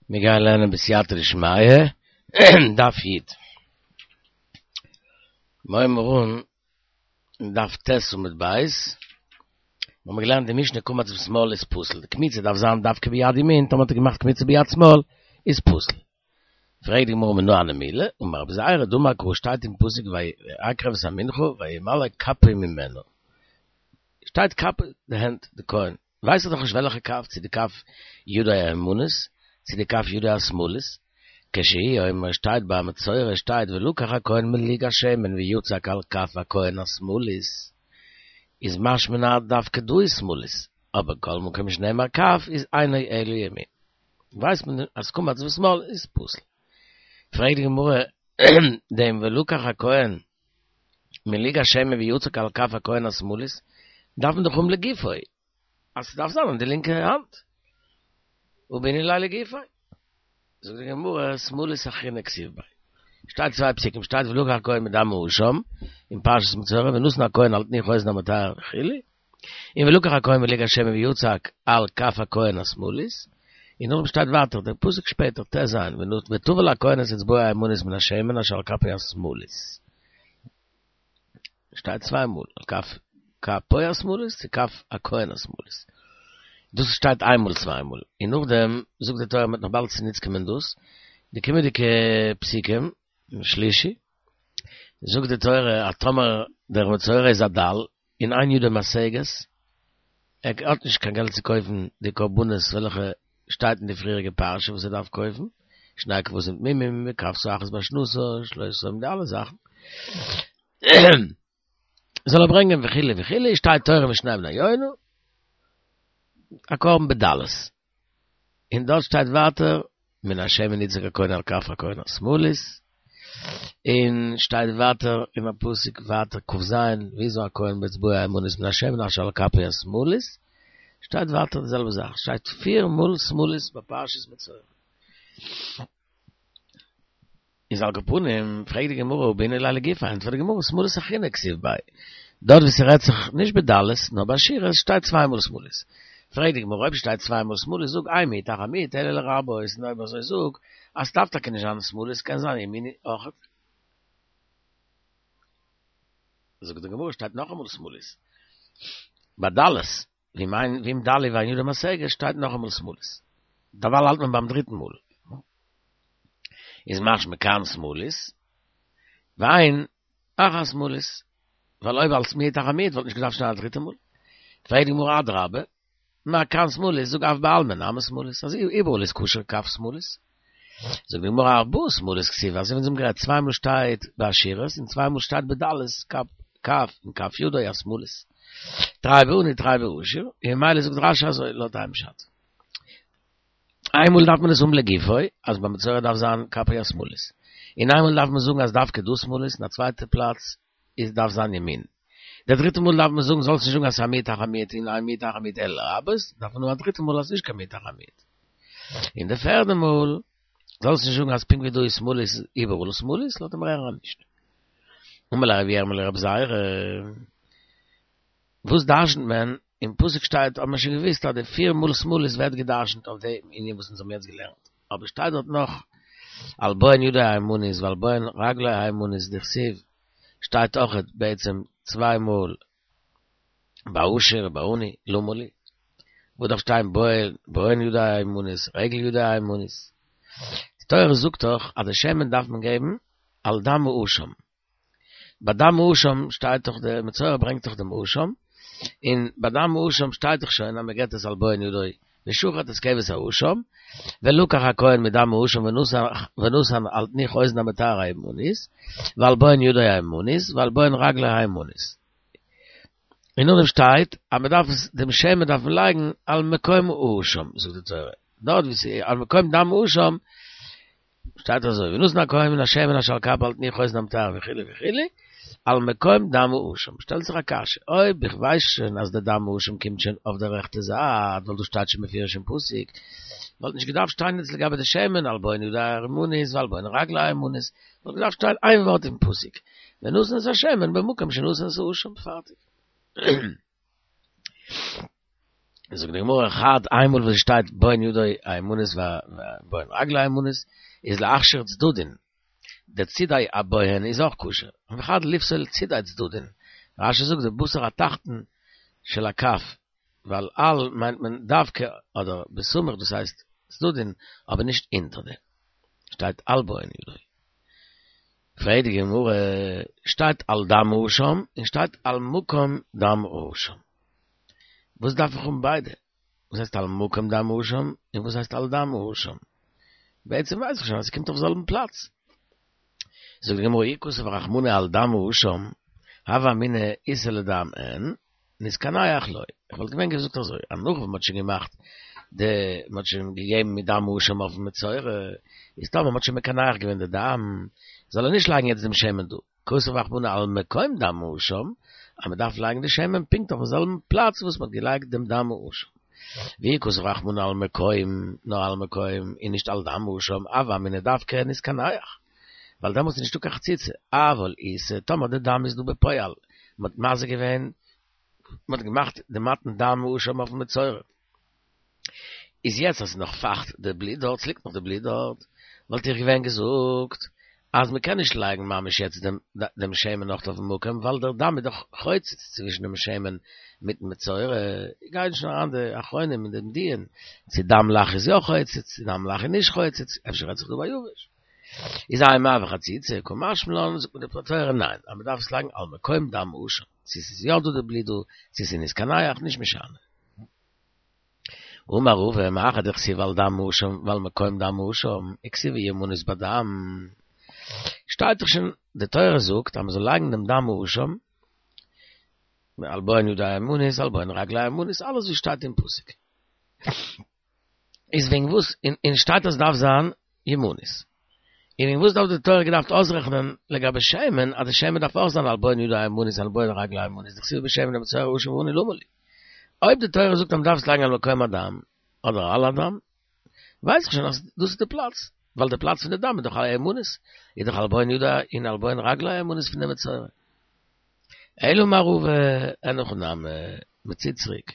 מיר גייען לערנען בסייעתא דשמיא, דף י'. מיר הייבן אן דף ט' עמוד ב', מיר האבן געלערנט די משנה קמץ בשמאל איז פסול, די קמיצה דארף זיין דווקא ביד ימין, טאמער האט ער געמאכט קמיצה ביד שמאל איז פסול. פרעגט די גמרא מנא הני מילי, אמר רבי זירא דאמר קרא שטייט אין פסוק ויקרב את המנחה וימלא כפו ממנה, שטייט כפו די הענט די כהן, ווייס איך דאך נישט וועלכע כף, צו די כף ידו הימנית, צו די כף ידו השמאלית, כשהוא אומר שטייט ביי מצורע שטייט ולקח הכהן מלוג השמן ויצק על כף הכהן השמאלית, איז משמע אז דווקא דא איז שמאלית, אבער כל מקום שנאמר כף איז אינו אלא ימין. ווייסט מען אז קמץ בשמאל איז פסול. פרעגט די גמרא דעם ולקח הכהן מלוג השמן ויצק על כף הכהן השמאלית, דארף מען דאך האבן לגופו, אז ס'דארף זיין אין די לינקע האנט. הא בעינן ליה לגופו. זאגט די גמרא, שמאלית אחרינא כתיב ביה. שטייט צוויי פסוקים, שטייט ולקח הכהן מדם האשם, אין פרשת מצורע, ונתן הכהן על תנוך האוזן המטהר וכו', און ולקח הכהן מלוג השמן ויצק על כף הכהן השמאלית, און נאכדעם שטייט ווייטער דער פסוק שפעטער, ט"ז, וטבל הכהן את אצבעו הימנית מן השמן אשר על כפו השמאלית. שטייט צוויי מאל, על כף כפו השמאלית צו כף הכהן השמאלית. דאס שטייט איין מאל צוויי מאל, און נאכדעם זאגט די תורה מ'וועט נאך באלד צוניץ קומען דאס, די קומענדיגע פסוקים, שלישי, זאגט די תורה אז טאמער דער מצורע איז א דל, און אין ידו משגת, ער האט נישט קיין געלט צו קויפן די קרבנות וועלכע שטייט אין די פריעריגע פרשה וואס ער דארף קויפן, שני כבשים תמימים וכבשה אחת בשנתה, שלושה די אלע זאכן, זאל ער ברענגען וכו' וכו', שטייט תורם ושני בני יונה, א קרבן בדלות. און דארט שטייט ווייטער מן השמן יצק הכהן על כף הכהן השמאלית, און שטייט ווייטער אין א פסוק ווייטער כ"ז ויזה הכהן באצבעו הימנית מן השמן אשר על כפו השמאלית, שטייט ווייטער די זעלבע זאך, שטייט פיר מאל שמאלית ביי פרשת מצורע. איז על כל פנים, פרעגט די גמרא הא בעינן ליה לגופיה, ענטפערט די גמרא שמאלית אחרינא כתיב ביה, דארט ווי ס'רעדט זיך נישט בדלות נאר בעשירות שטייט צוויי מאל שמאלית, פרעגט די גמרא אויב שטייט צוויי מאל שמאלית זאג אין מיעוט אחר מיעוט אלא לרבות, און אויב אזוי זאג אז ס'דארף טאקע נישט זיין שמאלית ס'קען זיין ימינית אויכעט. זאגט די גמרא שטייט נאכאמאל שמאלית בדלות. ואם אין ואם דל הוא ואין ידו משגת שטייט נאכאמאל שמאלית. דערווייל האלט מען ביים דריטן מאל. איז משמע כאן שמאלית, ואין אחר שמאלית. ווייל אויב אלס מיעוט אחר מיעוט וואלט נישט געדארפט שטיין א דריטע מאל. פרעגט די גמרא אדרבה, מה כאן שמאלית, זאג אף בעלמא נמי שמאלית, אז איבעראל איז כשר כף שמאלית. זאגט די גמרא ארבעה שמאלית כתיב, אזוי ווי אונז האבן גערעדט, צוויי מאל שטייט בעשירות און צוויי מאל שטייט בדלות, כף און כף ידו השמאלית. תרי בעני תרי בעשיר, און ממילא זאגט רש"י אזוי לויט איין פשט. איינמאל דארף מען עס האבן לגופו, אז ביי מצורע דארף זיין כפו השמאלית. און איינמאל דארף מען זאגן אז דווקא דא שמאלית, און א צווייטע פלאץ איז דארף זיין ימין. די דריטע מאל דארף מען זאגן זאלסט נישט זאגן אז ס'איז א מיעוט אחר מיעוט און אין מיעוט אחר מיעוט אלא לרבות, דארף מען האבן א דריטע מאל אז ס'איז נישט קיין מיעוט אחר מיעוט. און די פערדע מאל זאלסט נישט זאגן אז פונקט ווי דא איז שמאלית איז איבעראל שמאלית, לויט דעם רערן נישט. אמר ליה רב ירמי' לרבי זירא, וואס דרשנ'ט מען? אין פסוק שטייט האט מען שוין געוואוסט אז די פיר מאל שמאלית ווערט געדרשנ'ט אויף דעם ענין וואס אונז האבן יעצט געלערנט, אבער שטייט דארט נאך על בוהן ידו הימנית ועל בוהן רגלו הימנית דכתיב שטייט אויכעט בעצם צוויי מאל בעשיר ובעני, למה לי? וואס דארף שטיין בוהן ידו הימנית רגל ידו הימנית? די תורה זאגט דאך אז די שמן דארף מען געבן על דם האשם. ביי דם האשם שטייט דאך די מצורע ברענגט דאך דעם אשם, און ביי דם האשם שטייט דאך שוין אז מען געבט עס על בוהן ידו ושחט את כבש האשם, ולקח הכהן מדם האשם ונתן על תנוך אוזן המטהר הימנית, ועל בוהן ידו הימנית, ועל בוהן רגלו הימנית. און נאכדעם שטייט אז מען דארף עס דעם שמן דארף מען לייגן על מקום האשם, זאגט די תורה, דארט ווי ס'איז על מקום דם האשם, שטייט אזוי, ונתן הכהן מן השמן אשר על כפו על תנוך אוזן המטהר וכו' וכו', על מקום דם האשם, שטעלט זיך א קשיא, אויב איך ווייס שוין אז די דם האשם קומט שוין אויף די רעכטע זייט, ווייל דאס שטייט שוין מפורש אין פסוק, וואלט נישט געדארפט שטיין יעצט לגבי די שמן על בוהן ידו הימנית ועל בוהן רגלו הימנית, וואלט געדארפט שטיין איין ווארט אין פסוק, ונתן את השמן במקום שנתן את האשם, פארטיג. זאגט די גמרא חד איינמאל וואס עס שטייט בוהן ידו הימנית ובוהן רגלו הימנית איז להכשיר צדדין, די צידי הבוהן איז אויך כשר, וחד לפסול צידי צדדין, רשי זאגט די בשר התחתון של הכף, ווייל על מיינט מען דווקא אדער בסמוך דאס הייסט צדדין אבער נישט אונטער דעם, שטייט על בוהן ידו. פרעגט די גמרא, שטייט על דם האשם און שטייט על מקום דם האשם. וואס דארף איך האבן ביידע? וואס הייסט על מקום דם האשם און וואס הייסט על דם האשם? בעצם ווייס איך שוין אז ס'קומט אויף זעלבן פלאץ. זאגט די גמרא אי כתב רחמנא על דם האשם, הוה אמינא איתא לדם אין, נתקנח לא. איך וואלט געווען געזאגט אזוי, אז נאך וואס מ'האט שוין געמאכט די, מ'האט שוין געגעבן מיט דם האשם אויפן מצורע, איז טאמער מ'האט שוין מקנח געווען די דם, זאל ער נישט לייגן יעצט דעם שמן דא. כתב רחמנא על מקום דם האשם, אז מ'דארף לייגן די שמן פונקט אויפן זעלבן פלאץ וואס מ'האט געלייגט דעם דם האשם. ואי כתב רחמנא על מקום, נאר על מקום, און נישט על דם האשם, הוה אמינא דווקא נתקנח. ווייל דעמאלטס איז נישטא קיין חציצה, אבל איתא, טאמער די דם איז דא בפועל, מען האט מזה געווען, מען האט געמאכט די מתן דם האשם אויפן מצורע, איז יעצט אז ס'איז נאך פייכט די בלוט דארט, ס'ליגט נאך די בלוט דארט, וואלט איך געווען געזאגט אז מען קען נישט לייגן ממש יעצט דעם דעם שמן נאך אויפן מקום, ווייל דער דם איז דאך חוצץ צווישן דעם שמן מיטן מצורע, גייען שוין אריין די אחרונים אין דעם דיון, צו דם לח איז יא חוצץ, צו דם לח איז נישט חוצץ, אפשר רעדט זיך דא ביי יבש. איז אימא מעביר חציצה, קא משמע לן, זאגט מיר די תורה ניין, אז מ'דארף עס לייגן על מקום דם האשם, צו ס'איז יא דא די בלוט דא, צו ס'איז נתקנח, נישט משנה. אמר רבא, מאחר דכתיב על דם האשם ועל מקום דם האשם, וכתיב הימנית בדם. שטייט דאך שוין, די תורה זאגט אז מ'זאל לייגן דעם דם האשם, על בוהן ידו הימנית, על בוהן רגלו הימנית, אלעס וואס שטייט אין פסוק. איז וועגן וואס און שטייט אז דארף זיין ימנית. און וועגן וואס דארף די תורה געדארפט אויסרעכענען לגבי שמן אז די שמן דארף אויך זיין על בוהן ידו הימנית על בוהן רגלו הימנית דכתיב בשמן למצורע עשיר ועני למה לי. אויב די תורה זאגט אז מ'דארף עס לייגן על מקום הדם אדער על הדם ווייס איך שוין אז דאס איז די פלאץ ווייל די פלאץ פון די דם איז דאך על הימנית איז דאך על בוהן ידו און על בוהן רגלו הימנית פון די מצורע. אלא אמר רבא אין הכי נמי, מ'ציט צוריק.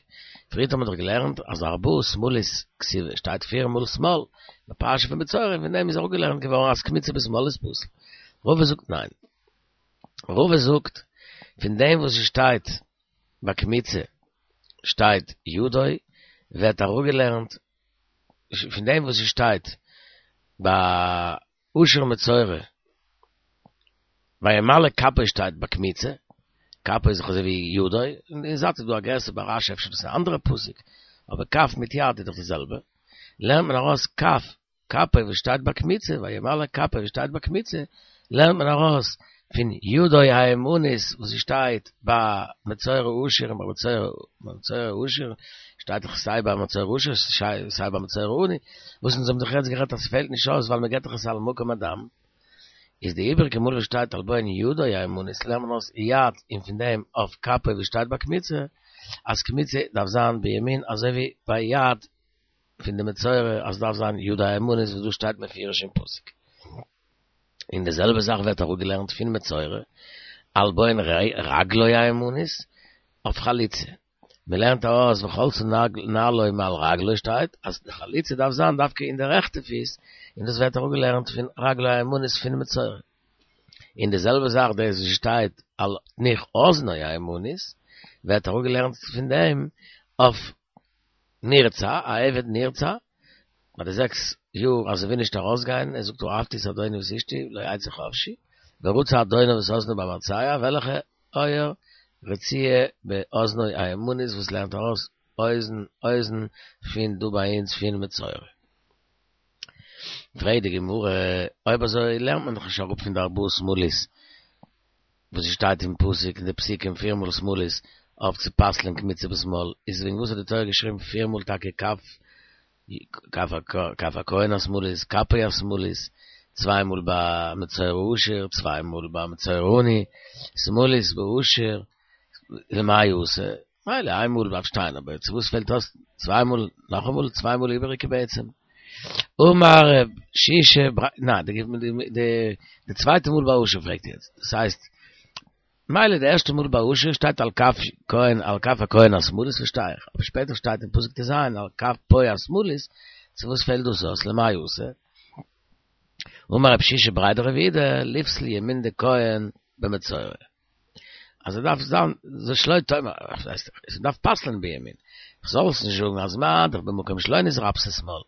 פריערט האט מען דאך געלערנט אז ארבעה שמאלית כתיבי, שטייט פיר מאל שמאל, בפרשה פון מצורע, פון דעם איז אראפגעלערנט געווארן אז קמיצה בשמאל איז פסול. רבא זאגט ניין. רבא זאגט, פון דעם וואס עס שטייט ביי קמיצה שטייט ידו, ווערט אראפגעלערנט פון דעם וואס עס שטייט ביי עשיר מצורע, וימלא כפו שטייט ביי קמיצה, כפו איז דאך אזוי ווי ידו, און אין זייט איז דא א גירסא ביי רשי אפשר דאס איז א אנדערע פסוק, אבער כף מיט יד איז דאך די זעלבע, לערנט מען ארויס כף, כפו וואס שטייט ביי קמיצה, וימלא כפו וואס שטייט ביי קמיצה, לערנט מען ארויס פון ידו הימנית וואס שטייט ביי מצורע עשיר און ביי מצורע עשיר שטייט דאך סיי ביי מצורע עשיר סיי ביי מצורע עני, וואס אונז האבן דאך יעצט גערעדט אז ס'פעלט נישט אויס ווייל מ'געט דאך עס על מקום הדם, איז די איבעריגע מאל וואס שטייט על בוהן ידו הימנית לערנט מען אויס יד און פון דעם אויף כפו וואס שטייט ביי קמיצה אז קמיצה דארף זיין בימין אזוי ווי ביי יד פון די מצורע אז ס'דארף זיין ידו הימנית וואס דא שטייט מפורש אין פסוק. און די זעלבע זאך ווערט אראפגעלערנט פון מצורע על בוהן רגלו הימנית אויף חליצה. מען לערנט ארויס וחלצה נעלו מעל רגלו שטייט אז די חליצה דארף זיין דווקא אין די רעכטע פיס, און דאס ווערט אראפגעלערנט פון רגלו הימנית פון מצורע. און די זעלבע זאך דאס וואס שטייט על תנוך אזנו הימנית ווערט אראפגעלערנט פון דעם אויף נרצע, א עבד נרצע, ביי די זעקס יאר אז ער וויל נישט ארויסגיין, ער זאגט אהבתי את אדוני ואת אשתי לא אצא חפשי, ורצע אדונו את אזנו במרצע, וועלכע אויער? רצועה באזנו הימנית וואס לערנט ארויס אוזן אוזן פון דא ביי אונז פון מצורע. פרעגט די גמרא, אויב אזוי לערנט מען דאך נישט אראפ פון די ארבעה שמאלית, וואס עס שטייט אין פסוק אין די פסוקים פיר מאל שמאלית אויף צו פסל'ען קמיצה בשמאל, איז וועגן וואס האט די תורה געשריבן פיר מאל טאקע כף כף הכהן השמאלית, כפו השמאלית, צוויי מאל ביי מצורע עשיר, צוויי מאל ביי מצורע עני, שמאלית בעשיר, למאי אתא, מילא איין מאל דארף שטיין, אבער צו וואס פעלט אויס צוויי מאל, נאכאמאל צוויי מאל איבעריגע בעצם? אמר רב שישא בר, ניין, די די צווייטע מאל ביי עשיר פרעגט יעצט, דאס הייסט. מילא די ערשטע מאל ביי עשיר שטייט על כף כהן על כף הכהן השמאלית פארשטיי איך, אבער שפעטער שטייט אין פסוק ט"ז על כפו השמאלית, צו וואס פעלט דאס אויס למאי אתא? אמר רב שישא בריה דרב יהודה ליפסל ימין דכהן במצורע. אז ער דארף זיין זה שלא תאמר, עס דארף פסל'ן בימין. כ'זאל עס נישט זאגן אז מה דאך במקום שלא נתרפסה שמאל,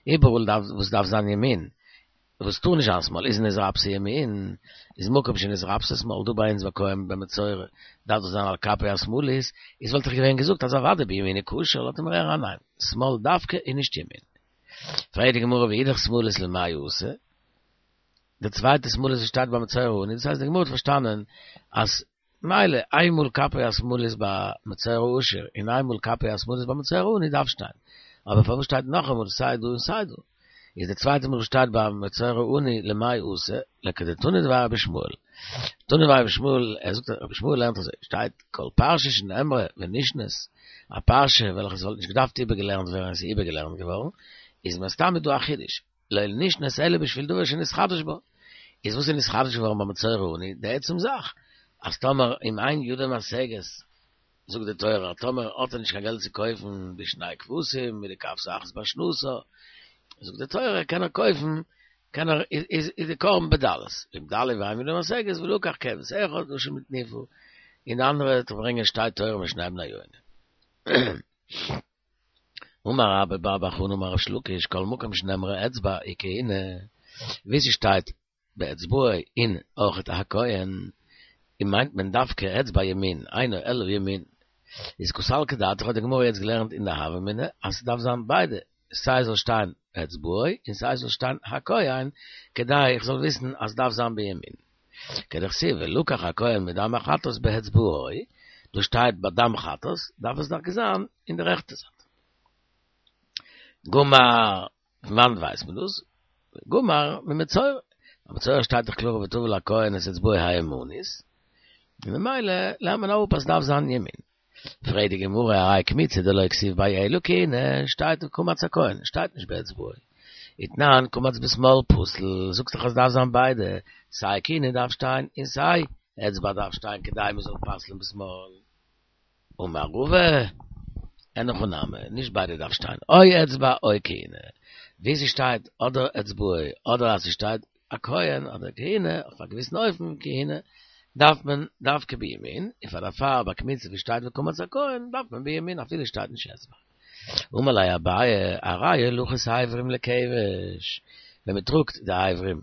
איבעראל דארף וואס דארף זיין ימין, וואס טאר נישט זיין שמאל איז נתרפסה ימין, איז מקום שנתרפסה שמאל, דא ביי אונז ביי כהן במצורע דארף דאס זיין על כפו השמאלית, איז וואלט איך געווען געזאגט אז אוודאי בימין איז כשר, לאזט ער מיר הערן ניין, שמאל דווקא און נישט ימין. פרעגט די גמרא ואידך שמאלית למאי אתא? די צווייטע שמאלית וואס שטייט ביי מצורע עני, דאס הייסט די גמרא האט פארשטאנען אז מילא איינמאל כפו השמאלית ביי מצורע עשיר און איינמאל כפו השמאלית ביי מצורע עני דארף שטיין, אבער פארוואס שטייט נאכאמאל סיי דא און סיי דא? איז די צווייטע מאל וואס שטייט ביי מצורע עני למאי אתא לכדתנא דבי רבי ישמעאל. תנא דבי רבי ישמעאל, ער זאגט רבי ישמעאל לערנט אזוי, שטייט כל פרשה שנאמרה ונשנית, א פרשה וועלכע עס וואלט נישט געדארפט איבערגעלערנט ווערן און עס איז איבערגעלערנט געווארן, איז מסתמא דא א חידוש. לא נשנית אלא בשביל דבר שנתחדש בה. איז וואס איז נתחדש געווארן ביי מצורע עני? די עצם זאך אז טאמער אם אין ידו משגת, זאגט די תורה אז טאמער האט ער נישט קיין געלט צו קויפן בשני כבשים מיט די כבשה אחת בשנתה, זאגט די תורה קען ער קויפן, קען ער, איז די קרבן בדלות, ואם דלה ואין ידו משגת ולקח כבש אחד אשם לתנופה, און די אנדערע וועט ער ברענגען שתי תורים ושני בני יונה. אמר רבה בר בר חנה אמר ריש לקיש כל מקום שנאמרה אצבע וכהונה, ווי ס'שטייט באצבעו און אויכעט הכהן, און מיינט מען דווקא אצבע ימין, אינו אלא ימין. איז קא סלקא דעתך האט די גמרא יעצט געלערנט אין די הוה אמינא אז ס'דארף זיין ביידע, סיי זאל שטיין אצבעו און סיי זאל שטיין הכהן, כדי איך זאל וויסן אז ס'דארף זיין בימין. כדכתיב ולקח הכהן מדם החטאת באצבעו, דא שטייט ביי דם חטאת, דארף עס דאך זיין אין די רעכטע זייט. גמר, פון וואנעט ווייסט מען דאס? גמר ממצורע, ביי מצורע שטייט דאך קלאר וטבל הכהן את אצבעו הימנית, און ממילא לערנט מען אפ אז ס'דארף זיין ימין. פרעגט די גמרא הרי קמיצה דלא כתיב ביה אלא כהונה, שטייט וקמץ הכהן, שטייט נישט באצבעו. ותנן קמץ בשמאל פסול, זאגסט דאך אז דארף זיין ביידע, סיי כהונה דארף שטיין און סיי אצבע דארף שטיין כדי מען זאל פסל'ן בשמאל. אמר רבא, אין הכי נמי, נישט ביידע דארף שטיין, או אצבע או כהונה, ווי ס'שטייט אדער אצבעו אדער אז ס'שטייט הכהן אדער כהונה, אויף א געוויסן אופן כהונה, דארף מען דווקא בימין, און פאר דערפאר ביי קמיצה ווי שטייט וקמץ הכהן דארף מען בימין אפילו שטייט נישט אצבע. אמר ליה אביי, הרי הולכת האיברים לכבש, ווען מען טראגט די אברים,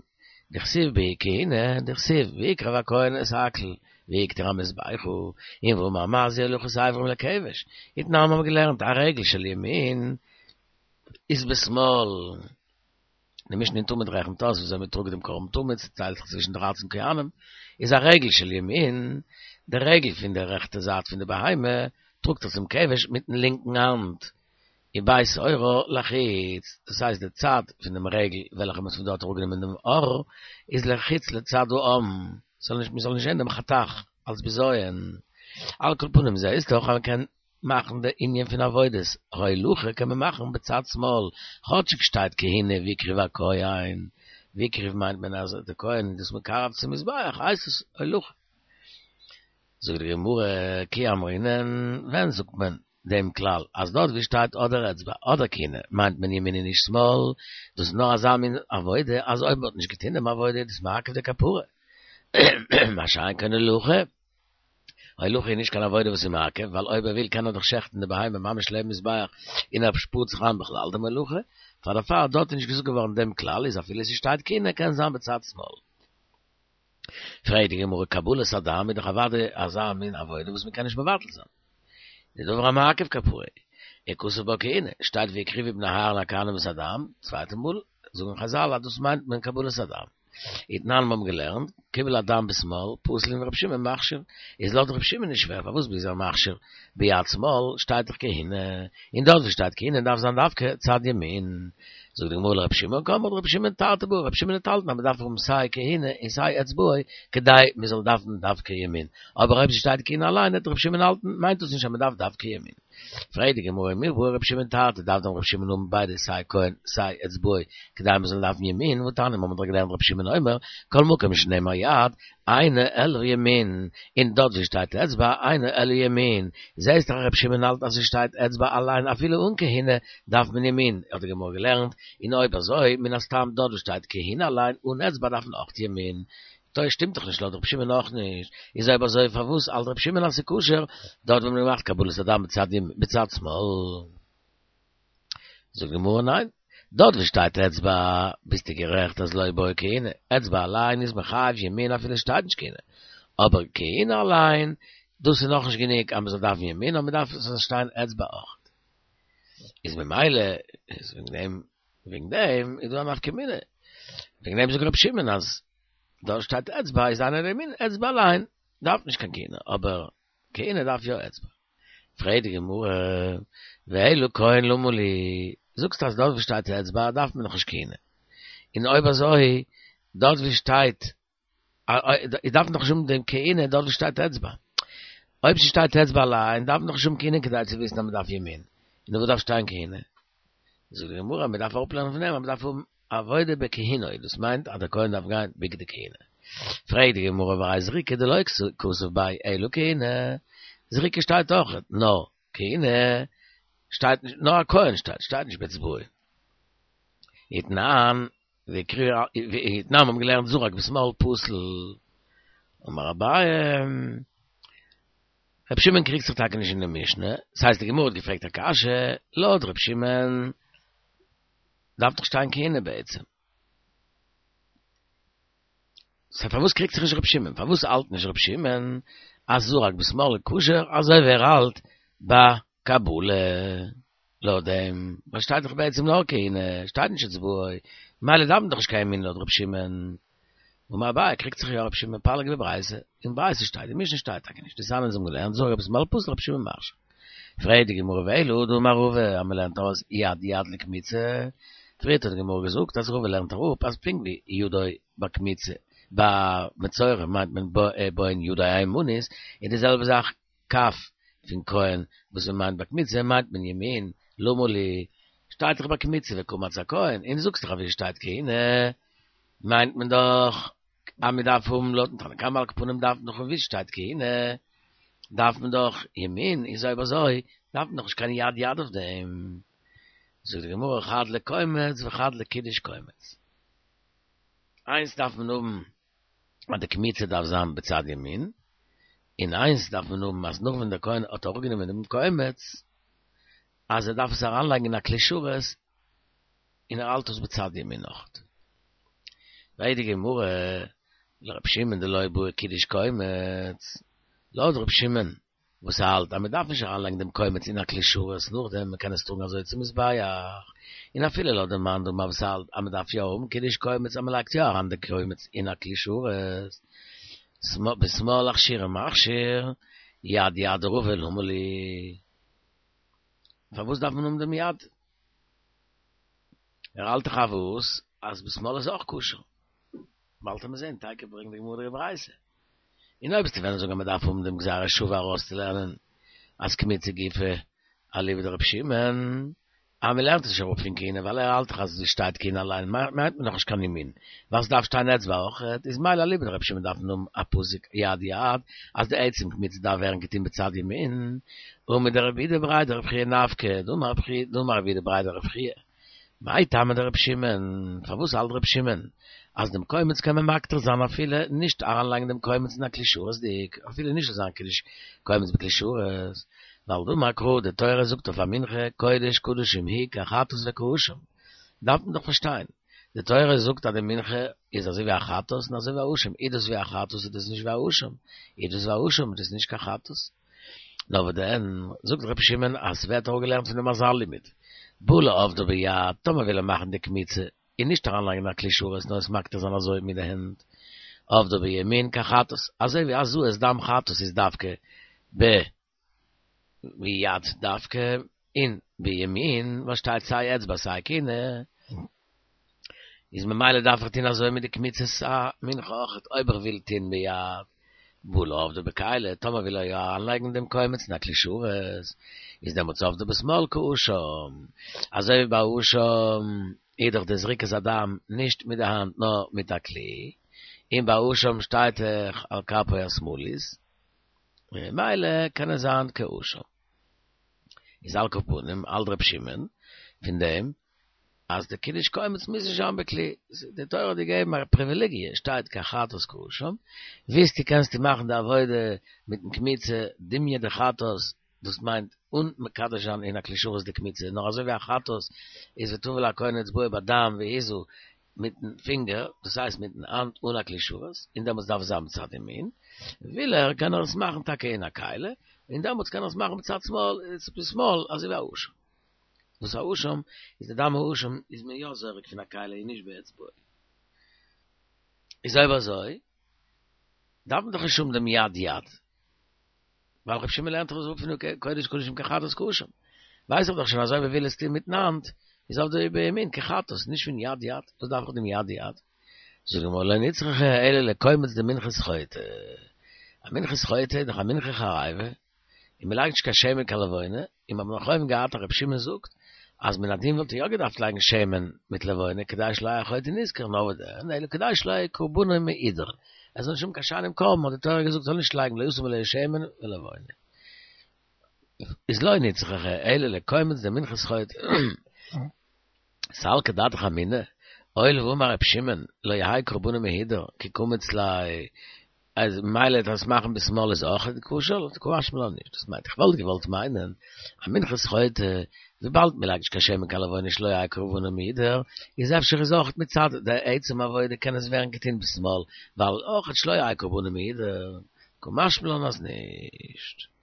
דכתיב בהו כהונה, דכתיב ויקרב הכהן את הכל והקטיר המזבחה, און ואמר מה זה הולכת האיברים לכבש, ותנן מיר האבן געלערנט א רגל של ימין איז בשמאל. די משנה אין תמיד רעכנט אויס וויאזוי מען טראגט דעם קרבן תמיד, ס'טיילט זיך צווישן דרייצן כהנים, איז א רגל של ימין, די רגל פון די רעכטע זייט פון די בהמה, טראגט ער צום כבש מיטן לינקן האנט, ובית עורה לחוץ, דאס הייסט די צד פון דעם רגל וועלכע מען האט פון דארט אראפגענומען דעם עור, איז לחוץ לצד העם, ס'זאל נישט, מען זאל נישט זען דעם חתך אלס בזיון. על כל פנים זעהסט דאך אז מען קען מאכן די ענין פון עבודת הולכה קען מען מאכן בצד שמאל, כאטשיג שטייט כהונה והקריב הכהן, והקריב מיינט מען אז די כהן איז דאס מקרב צום מזבח הייסט עס הולכה. זאגט די גמרא כי אמרינן, ווען זאגט מען דעם כלל אז דארט ווי שטייט אדער אצבע אדער כהונה מיינט מען ימין און נישט שמאל, דאס איז נאר אזא מין עבודה אז אויב מען האט נישט געטון דעם עבודה איז דאס מעכב די כפרה, מה שאין כן הולכה. הולכה איז נישט קיין עבודה וואס איז מעכב, ווייל אויב ער וויל קען ער דאך שעכטן די בהמה ממש לעבן מזבח און ער שפארט זיך איין בכלל דעם הולכה, פאר דערפאר דארט איז נישט געזאגט געווארן דעם כלל איז אפילו ס'שטייט כהונה קען זיין בצד שמאל. פרעגט די גמרא קבלת הדם איז דאך אוודאי אזא מין עבודה וואס מ'קען נישט מבטל זיין. דדבר המעכב כפרה. וכתיב בה כהונה, שטייט והקריבו בני אהרן הכהנים את הדם, צווייטע מאל זאגן חזל אז דאס מיינט מען קבלת הדם. ותנן מיר האבן געלערנט, קיבל הדם בשמאל, פסול און רבי שמעון מכשיר, איז לויט רבי שמעון נישט שווער פארוואס איז ער מכשיר ביד שמאל שטייט דאך כהונה, און דארט ווי שטייט כהונה דארף זיין דווקא צד ימין. זאגט די גמרא לרבי שמעון קאמרת רבי שמעון תרתי בעי, רבי שמעון האט האלטן אז מען דארף האבן סיי כהונה און סיי אצבעו כדי מען זאל דארפן דווקא ימין, אבער אויב ס'שטייט כהונה אליין וועט רבי שמעון האלטן מיינט דאס נישט אז מען דארף דווקא ימין. פרעגט די גמרא מי בעי רבי שמעון תרתי דארף דען רבי שמעון האבן ביידע סיי כהן סיי אצבעו כדי מען זאל דארפן ימין והתניא מיר האבן דאך געלערנט רבי שמעון אומר כל מקום שנאמר יד אינו אלא ימין און דארט ווי שטייט אצבע אינו אלא ימין זעהסט דאך אז רבי שמעון האלט אז ס'שטייט אצבע אליין אפילו אן כהונה דארף מען ימין האט די גמרא געלערנט און אויב אזוי מן הסתם דארט ווי שטייט כהונה אליין אן אצבע דארף מען אויך ימין טא שטימט דאך נישט לויט רבי שמעון אויך נישט, איז אויב אזוי פארוואס האלט רבי שמעון אז ס'איז כשר דארט ווי מ'האט געמאכט קבלת הדם בצד ימין בצד שמאל? זאגט די גמרא ניין, דארט ווי שטייט אצבע ביסטו גערעכט אז לא בעי כהונה, אצבע אליין איז מחייב ימין אפילו שטייט נישט כהונה, אבער כהונה אליין דאס איז נאכנישט גענוג אז מ'זאל דארפן ימין נאר מ'דארף עס זאל שטיין אצבע אויך, איז ממילא איז וועגן דעם וועגן דעם איז דא א נפקא מינה, וועגן דעם זאגט רבי שמעון אז דארט שטייט אצבע איז אינו אלא ימין, אצבע אליין דארף נישט קיין כהונה, אבער כהונה דארף יא אצבע. פרעגט די גמרא, ואלא כהן למה לי, זאגסט אז דארט וואו שטייט אצבע דארף מען נאך נישט כהונה, און אויב אזוי דארט וואו שטייט איז דארף מען דאך נישט האבן דעם כהונה דארט וואו שטייט אצבע. אויב ס'שטייט אצבע אליין דארף מען דאך נישט האבן כהונה כדי צו וויסן אז מ'דארף ימין. און וואו דארף שטיין כהונה? זאגט די גמרא מ'דארף אראפלערנען פון דעם אז מ'דארף האבן עבודה בכהונה, דאס מיינט אז דער כהן דארף גיין בגדי כהונה. פרעגט די גמרא והרי זריקה דלא כתיב ביה אלא כהונה, זריקה שטייט אויך נאר כהונה שטייט נישט, נאר א כהן שטייט, שטייט נישט באצבעו. ותנן, ותנן האבן געלערנט זרק בשמאל פסול. אמר אביי, רבי שמעון קריגט זיך טאקע נישט אין די משנה, ס'הייסט די גמרא האט געפרעגט א קשיא, לויט רבי שמעון דארף דאך שטיין כהונה בעצם. סא פארוואס קריגט זיך נישט רבי שמעון? פארוואס האלט נישט רבי שמעון אז זרק בשמאל איז כשר אזוי ווי ער האלט ביי קבלה? לויט דעם וואס שטייט דאך בעצם נאר כהונה, שטייט נישט אצבעו, ממילא דארף מען דאך נישט קיין ימין לויט רבי שמעון. אמר אביי קריגט זיך יא רבי שמעון פליגא בברייתא, אין ברייתא שטייט, אין משנה שטייט טאקע נישט, דתניא אונז האבן געלערנט זרק בשמאל פסול רבי שמעון מכשיר. פרעגט די גמרא ואלא דאמר רבא אז מ'לערנט ארויס יד יד לקמיצה, פריערט האט די גמרא געזאגט אז רבא לערנט אראפ אז פונקט ווי ידו ביי קמיצה ביי מצורע מיינט מען בהן ידו הימנית, און די זעלבע זאך כף פון כהן וואס מען מיינט ביי קמיצה מיינט מען ימין, למה לי, שטייט דאך ביי קמיצה וקמץ הכהן, און זאגסט דאך אז ווי שטייט כהונה מיינט מען דאך אז מען דארף האבן לויטן תנא קמא על כל פנים דארף מען דאך ווי שטייט כהונה דארף מען דאך ימין, איז אויב אזוי דארף מען דאך נישט קיין יד יד אויף דעם. זאגט די גמרא חד לקומץ וחד לקידוש קומץ. איינס דארף מען האבן אז די קמיצה דארף זיין בצד ימין, און איינס דארף מען האבן אז נאך ווען דער כהן האט אראפגענומען דעם קומץ אז ער דארף עס אריינלייגן אין א כלי שרת און ער האלט עס בצד ימין נאך. פרעגט די גמרא לר' שמעון דלא בעי קידוש קומץ, לויט ר' שמעון וואס האלט אז מען דארף נישט אריינלייגן דעם קומץ אין א כלי שרת נאכדעם, מען קען עס טראגן אזוי צום מזבח, און אפילו לויט דעם מאן דאמר וואס האלט אז מען דארף יא האבן קידוש קומץ אז מען לייגט יא אריין די קומץ אין א כלי שרת, בשמאל אכשורי מכשיר, יד יד דרבא למה לי. פארוואס דארף מען האבן דעם יד? ער האלט דאך אויף אז בשמאל איז אויך כשר. באלד וועט מען זען, תיכף ברענגט די גמרא די ברייתא. און אויב וועסטו וועלן זאגן אז מען דארף האבן דעם גזירה שוה ארויסצולערנען אז קמיצה גופא אליבא דרבי שמעון, אז מען לערנט עס נישט אראפ פון כהונה ווייל ער האלט דאך אז עס שטייט כהונה אליין מיינט מען דאך נישט קיין ימין ווייל ס'דארף שטיין אצבע אויכעט, איז מילא אליבא דרבי שמעון דארף מען האבן א פסוק יד יד אז די עצם קמיצה דארף ווערן געטון בצד ימין, ומדרב אידי בריה דרב חייא נפקא, דאמר רב אידי בריה דרב חייא. מאי טעמא דרבי שמעון, פארוואס האלט רבי שמעון אז דעם קומץ קען מען מקטיר זיין אפילו נישט אריינלייגן דעם קומץ אין א כלי שרת'דיג, אפילו נישט זאל זיין קידוש קומץ בכלי שרת, ווייל דאמר קרא, די תורה זאגט אויף א מנחה קודש קדשים היא כחטאת וכאשם, דארף מען דאך פארשטיין, די תורה זאגט אז די מנחה איז אזוי ווי א חטאת און אזוי ווי א אשם, איז דאס ווי א חטאת איז דאס נישט ווי א אשם, איז דאס ווי א אשם איז דאס נישט קיין חטאת. נאר וואס דען, זאגט רבי שמעון אז ס'ווערט אראפגעלערנט פון דעם אזא לימוד, בא לעובדה ביד, טאמער וויל ער מאכן די קמיצה און נישט אריינלייגן אין א כלי שרת נאר עס מקטיר זיין אזוי מיט די הענט, עובדה בימין כחטאת, אזוי ווי הזאת דם חטאת איז דווקא ב ביד דווקא און בימין וואס שטייט סיי אצבע סיי כהונה, איז ממילא דארף איך טון אזוי מיט די קמיצת המנחה אויכעט אויב איך וויל טון ביד. בעי לעבדה בכלי, טאמער וויל ער יא אריינלייגן דעם קומץ אין א כלי שרת, איז דעמאלטס עבדה בשמאל כאשם, אזוי ווי ביי אשם איז דאך די זריקת הדם נישט מיט די האנט נאר מיט א כלי, און ביי אשם שטייט דאך על כפו השמאלית, ממילא קען עס זיין כאשם. איז על כל פנים האלט ר' שמעון פון דעם אז די קידוש קומץ מוז נישט זיין בכלי, די תורה האט געגעבן א פריוויליגיע, שטייט כחטאת כאשם, ווילסטו קענסטו מאכן די עבודה מיטן קמיצה דומיא דחטאת, דאס מיינט אן מקדש זיין אין א כלי שרת די קמיצה, נאר אזוי ווי א חטאת איז וטבל הכהן אצבעו בדם והזה מיטן פינגער, דאס הייסט מיטן האנט אן א כלי שרת, און דעמאלטס דארף עס זיין מצד ימין, וויל ער קען ער עס מאכן טאקע אין א כלי, און דעמאלטס קען ער עס מאכן מצד שמאל, בשמאל אזוי ווי א אשם. וואס א אשם איז די דם האשם איז מען יא זורק פון א כלי און נישט באצבעו. איז אויב אזוי דארף מען דאך נישט האבן דעם יד יד. ווייל רבי שמעון לערנט דאך עס אפ פון קודש קדשים כחטאת כאשם. ווייס איך דאך שוין אז אויב ער וויל עס טון מיטן האנט איז עבדה בימין כחטאת, נישט פון יד יד. וואס דארף איך דעם יד יד? זאגט די גמרא לא נצרכא אלא לקומץ דמנחת חוטא. א מנחת חוטא איז דאך א מנחה חריבה. און מען לייגט נישט קיין שמן קיין לבונה, און מיר האבן נאך אויבן געהאט אז רבי שמעון זאגט אז מן הדין וואלט ער יא געדארפט לייגן שמן מיט לבונה כדי שלא יהא חוטא נשכר נאר וואס דען אלא כדי שלא יהא קרבנו מהודר ער זאל נישט האבן קיין שיינעם קרבן האט די תורה געזאגט זאל נישט לייגן לא ישים עליה שמן ולבונה איז לא נצרכא אלא לקומץ דמנחת חוטא סלקא דעתך אמינא, הואיל ואמר רבי שמעון לא יהא קרבנו מהודר כי קמיץ ליה אז ממילא דאס מאכן בשמאל איז אויך כשר, קא משמע לן נישט, דאס מיינט איך וואלט געוואלט מיינען א מנחת חוטא, וויבאלד מען לייגט נישט קיין שמן קיין לבונה שלא יהא קרבנו מהודר, איז אפשר איז אויך מצד די עצם עבודה קען עס ווערן געטון בשמאל, ווייל אויך שלא יהא קרבנו מהודר, קא משמע לן אז נישט.